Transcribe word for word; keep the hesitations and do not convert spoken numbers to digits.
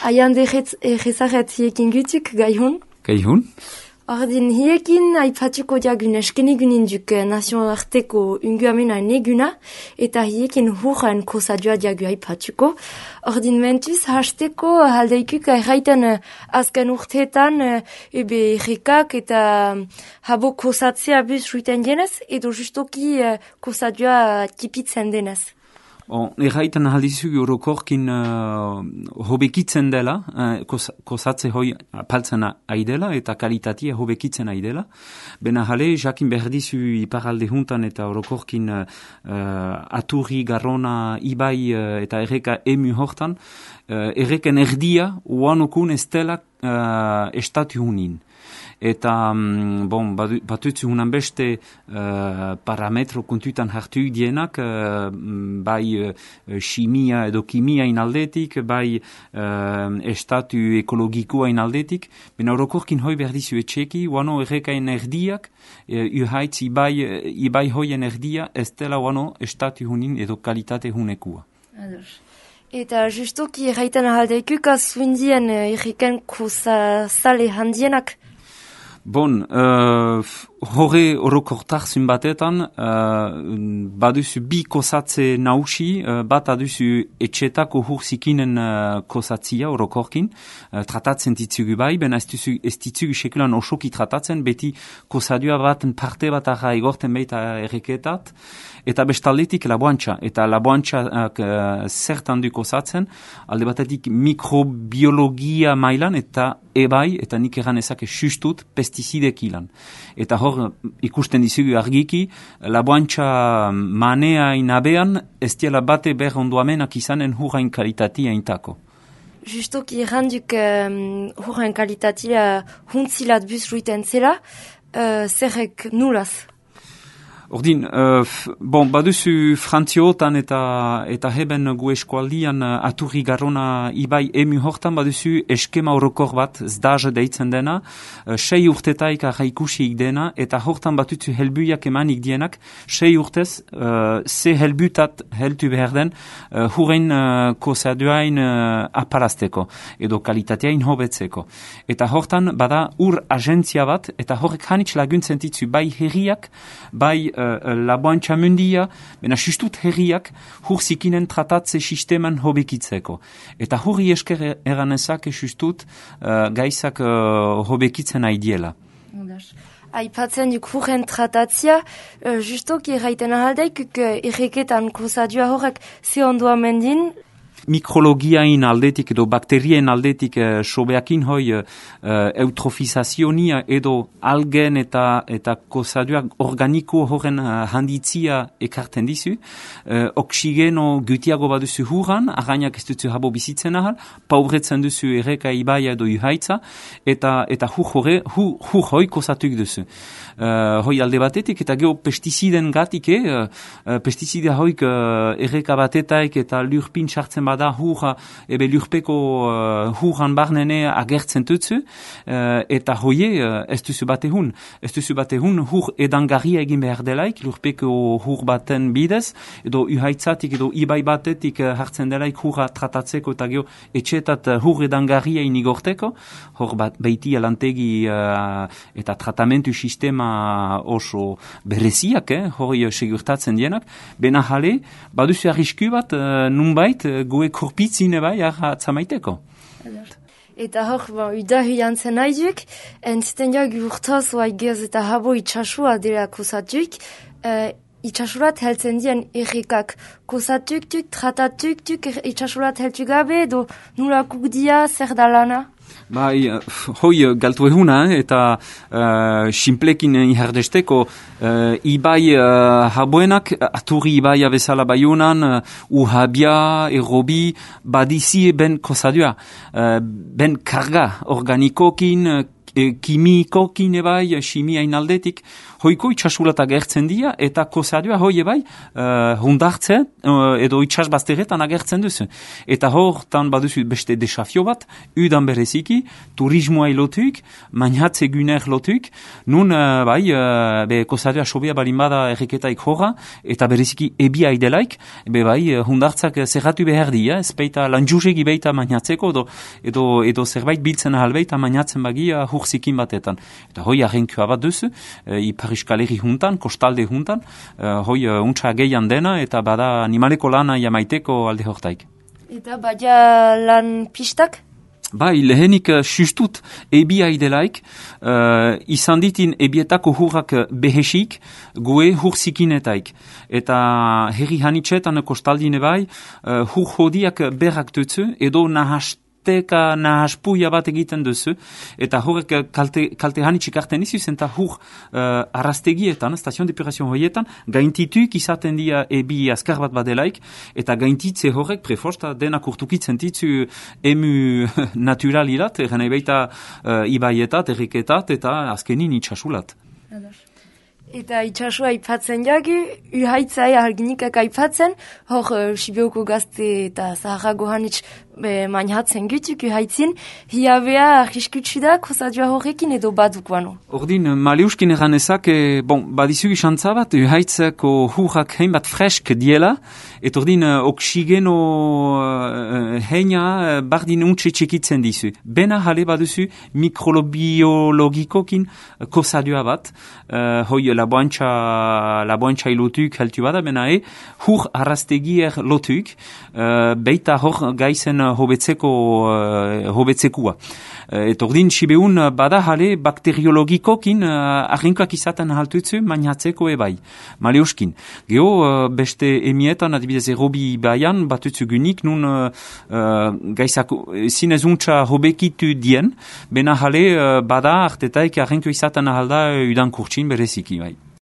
Aian derezaret hiekin gutuk, gaihun? Gaihun? Ordin hiekin aipatuko diagun eskenigunin duk nazioarteko unguamena neguna, eta hiekin hurren kosadua diagu aipatuko. Ordin mentuz, hasteko haldeikuk erraiten azken urteetan ebe errekak eta habo kosatzea buz ruiten dienez, edo justoki kosadua tipitzen denez. On, erraiten aldizu orokorkin uh, hobekitzen dela, uh, kos, kosatze hoi apaltzen aidela eta kalitatea hobekitzen aidela. Bena jale, jakin berdizu iparalde juntan eta orokorkin uh, aturri, garrona, ibai uh, eta erreka emu hortan, uh, erreken erdia uanokun ez dela uh, estatu hunin. Eta, bon, batutzu hunan beste uh, parametro kontutan hartu dienak, uh, bai uh, chimia edo kimia inaldetik, bai uh, estatu ekologikoa inaldetik, ben orokorkin hoi berdizu etxeki, uano errekain erdiak, uh, uhaitz ibai, ibai hoien erdia, ez dela uano estatu hunin edo kalitate hunekua. Ados. Eta justoki erraiten ahaldeikuk azundien uh, erreken kosa sale handienak? Bon, uh, horre orokortar zunbatetan, uh, baduzu bi kosatze nausi, uh, bat aduzu etxetako hurzikinen uh, kosatzia orokorkin, uh, tratatzen ditzugu bai, ben ez ditzugu sekulan osoki tratatzen, beti kosadua baten parte bat arra egorten baita erreketat, eta bestaldetik laboantxa, eta laboantxak uh, zertan du kosatzen, alde batetik mikrobiologia mailan, eta ebai, eta nik eran ezake sustut, pestizidek ilan. Eta hor, ikusten dizugu argiki, laboantxa manea inabean, ez diela bate ber ondoamenak izanen hurrain kalitatia intako. Justoki erranduk um, hurrain kalitatia huntzilat buz ruiten zela, uh, zerrek nulaz? Ordin, uh, bon, baduzu frantziotan eta eta heben gu eskualdian uh, aturri garrona ibai emu hortan baduzu eskema orokor bat, zdaz deitzen dena, uh, sei urtetaik arraikusiik dena, eta hortan batutzu helbuiak emanik dienak, sei urtez, uh, ze helbutat heltu behar den, uh, hurrein uh, kosaduain uh, aparazteko, edo kalitateain hobetzeko. Eta hortan bada ur agentzia bat, eta horrek hanitz laguntzen ditzu bai herriak, bai Uh, laboantxa mundia, bena justut herriak hurzikinen tratatze sisteman hobekitzeko. Eta hurri esker eranezak justut uh, gaizak uh, hobekitzen aidiela. Aipatzen duk hurren tratatzia, uh, justoki erraiten ahaldeik, uh, erreketan kosadua horrek ze ondoa mendin, mikrologiain aldetik edo bakterien aldetik uh, sobeakin hoi uh, eutrofizazionia edo algen eta eta kosaduak organiko horren uh, handitzia ekarten dizu. Uh, oksigeno gutiago baduzu hurran, arrainak ez duzu habo bizitzen ahal, paubretzen duzu erreka ibaia edo uhaitza, eta, eta hur hori, hur, hur hoi kosatuk duzu. Uh, hoi alde batetik, eta geho pestiziden gatik, eh? uh, pestizide hoik uh, erreka batetaik eta lurpin sartzen bada hurra, ebe lurpeko uh, hurran barnene agertzen tutzu, uh, eta hoie uh, ez duzu batehun. Ez duzu batehun hur edangarria egin behar delaik, lurpeko hur baten bidez, edo uhaitzatik edo ibai batetik uh, hartzen delaik hurra tratatzeko eta geho etxetat uh, hur edangarria inigorteko, hor bat beiti alantegi uh, eta tratamentu sistema oso bereziak, eh, hori segurtatzen dienak, bena jale, baduzu arrisku bat, uh, nunbait, uh, goe korpitzine bai, atzamaiteko. Eta hor, ba, udahu jantzen naiduk, entziten jak urtaz, oai gez eta habo itxasua dela kosatuk, uh, itxasurat heltzen dien errekak kosatuk-tuk, tratatuk-tuk, itxasurat heltu gabe, edo nulakuk dia, zer da lana? Bai, hoi galtu eguna, eh, eta uh, simplekin ihardesteko uh, ibai uh, haboenak, aturri ibaia bezala baiunan, uh, uhabia, erobi, badizi ben kosadua, uh, ben karga organikokin, uh, e, kimikokin ebai, chimiain aldetik, hoiko itxasulat agertzen dira, eta kosadua hoi ebai, uh, hundartzen, uh, edo itxasbazteretan agertzen duzu. Eta hortan baduzu beste desafio bat, udan bereziki, turismoa lotuik, mainatze guner lotuik, nun, uh, bai, uh, be, kosadua sobea balin bada erreketaik horra, eta bereziki ebia idelaik, be bai, hundartzak zerratu behar dira, ez beita lanjuzegi beita mainatzeko, edo, edo, edo zerbait biltzen ahalbeita mainatzen bagia hurzikin batetan. Eta hoi arrenkua bat duzu, uh, ipar iskaleri juntan, kostalde juntan, uh, hoi uh, untsa gehian dena, eta bada animaleko lana jamaiteko alde hortaik. Eta baina lan pistak? Bai, lehenik uh, sustut ebia idelaik, uh, izan ditin ebietako hurrak behesik, goe hurzikinetaik. Eta herri hanitxetan kostaldine bai, uh, hur hodiak berrak dutzu, edo nahast teka nahaspuia bat egiten duzu, eta horrek kalte, kalte hanitxik arten izuz, eta hur uh, arrastegietan, stazion depurazio horietan, gaintituik izaten dia ebi azkar bat badelaik, eta gaintitze horrek preforsta denak urtukitzen ditzu emu naturalirat, erren ebeita uh, ibaietat, erreketat, eta azkenin itxasulat. Eta itxasua aipatzen jagu, uhaitzai arginikak aipatzen, hor uh, Sibioko gazte eta Zaharago hanitz mainhatzen gutuk uhaitzin, hiabea arriskutsu da kosadua horrekin edo badukoano. Ordin, maleuskin eranezak, e, bon, badizugi xantza bat, uhaitzako hurrak hein bat fresk diela, et ordin, oksigeno uh, heina uh, bardin untxe txekitzen dizu. Bena jale baduzu mikrobiologikokin uh, kosadua bat, uh, hoi laboantxa, laboantxa ilotuk heltu bada, bena e, hur arrastegier lotuk, uh, beita hor gaizen hobetzeko uh, hobetzekua. Uh, et ordin, sibeun bada jale bakteriologikokin uh, arrinkoak izaten haltutzu mainatzeko ebai. Maleuskin. Geo, uh, beste emietan, adibidez erobi baian, batutzu gunik, nun uh, uh, gaizako zinezuntza hobekitu dien, bena jale uh, bada artetaik arrinko izaten ahalda uh, udan kurtsin bereziki bai.